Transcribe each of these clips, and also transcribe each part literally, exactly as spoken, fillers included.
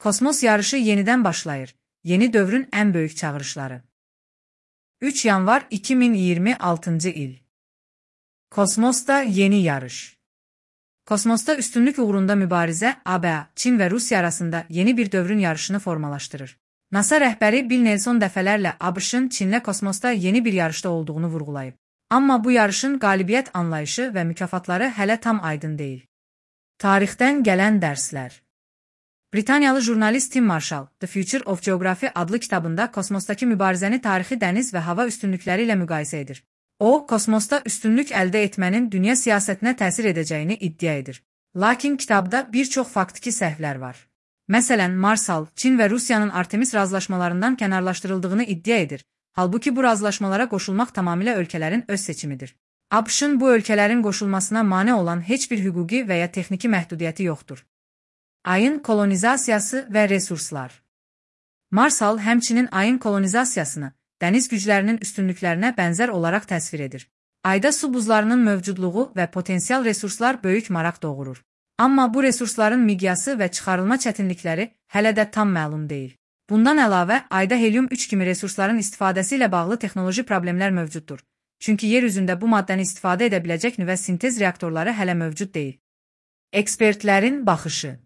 Kosmos yarışı yenidən başlayır. Yeni dövrün ən böyük çağırışları. üç yanvar iki min iyirmi altıncı il. Kosmosda yeni yarış. Kosmosda üstünlük uğrunda mübarizə A B A, Çin və Rusiya arasında yeni bir dövrün yarışını formalaşdırır. NASA rəhbəri Bill Nelson dəfələrlə ABŞ-ın Çinlə kosmosda yeni bir yarışda olduğunu vurğulayıb. Amma bu yarışın qalibiyyət anlayışı və mükafatları hələ tam aydın deyil. Tarixdən gələn dərslər. Britaniyalı jurnalist Tim Marshall, The Future of Geography adlı kitabında kosmosdakı mübarizəni tarixi dəniz və hava üstünlükləri ilə müqayisə edir. O, kosmosda üstünlük əldə etmənin dünya siyasətinə təsir edəcəyini iddia edir. Lakin kitabda bir çox faktiki səhvlər var. Məsələn, Marshall, Çin və Rusiyanın Artemis razılaşmalarından kənarlaşdırıldığını iddia edir. Halbuki bu razılaşmalara qoşulmaq tamamilə ölkələrin öz seçimidir. ABŞ-ın bu ölkələrin qoşulmasına mane olan heç bir hüquqi və ya texniki məhdudiyyəti yoxdur. Ayın kolonizasiyası və resurslar. Marshall həmçinin ayın kolonizasiyasını dəniz güclərinin üstünlüklərinə bənzər olaraq təsvir edir. Ayda su buzlarının mövcudluğu və potensial resurslar böyük maraq doğurur. Amma bu resursların miqyası və çıxarılma çətinlikləri hələ də tam məlum deyil. Bundan əlavə, ayda helium üç kimi resursların istifadəsi ilə bağlı texnoloji problemlər mövcuddur. Çünki yer üzündə bu maddəni istifadə edə biləcək nüvə sintez reaktorları hələ mövcud deyil. Ekspertlərin baxışı.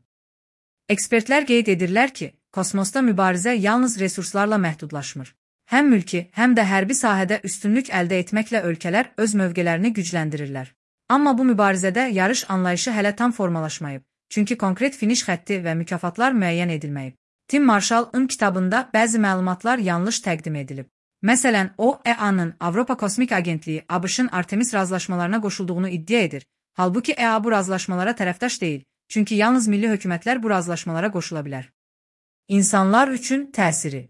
Ekspertlər qeyd edirlər ki, kosmosda mübarizə yalnız resurslarla məhdudlaşmır. Həm mülki, həm də hərbi sahədə üstünlük əldə etməklə ölkələr öz mövqelərini gücləndirirlər. Amma bu mübarizədə yarış anlayışı hələ tam formalaşmayıb, çünki konkret finiş xətti və mükafatlar müəyyən edilməyib. Tim Marshall-ın kitabında bəzi məlumatlar yanlış təqdim edilib. Məsələn, o, E A-nın Avropa Kosmik Agentliyi ABŞ-ın Artemis razılaşmalarına qoşulduğunu iddia edir. Halbuki E A bu razılaşmalara tərəfdaş deyil, çünki yalnız milli hökumətlər bu razılaşmalara qoşula bilər. İnsanlar üçün təsiri.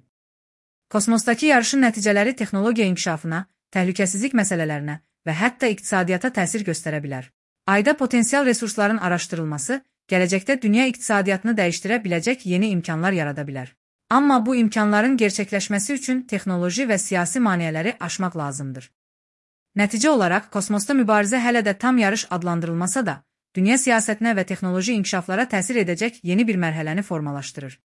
Kosmosdakı yarışın nəticələri texnologiya inkişafına, təhlükəsizlik məsələlərinə və hətta iqtisadiyyata təsir göstərə bilər. Ayda potensial resursların araşdırılması, gələcəkdə dünya iqtisadiyyatını dəyişdirə biləcək yeni imkanlar yarada bilər. Amma bu imkanların gerçəkləşməsi üçün texnoloji və siyasi maneələri aşmaq lazımdır. Nəticə olaraq, kosmosda mübarizə hələ də tam yarış adlandırılmasa da, dünya siyasətinə və texnoloji inkişaflara təsir edəcək yeni bir mərhələni formalaşdırır.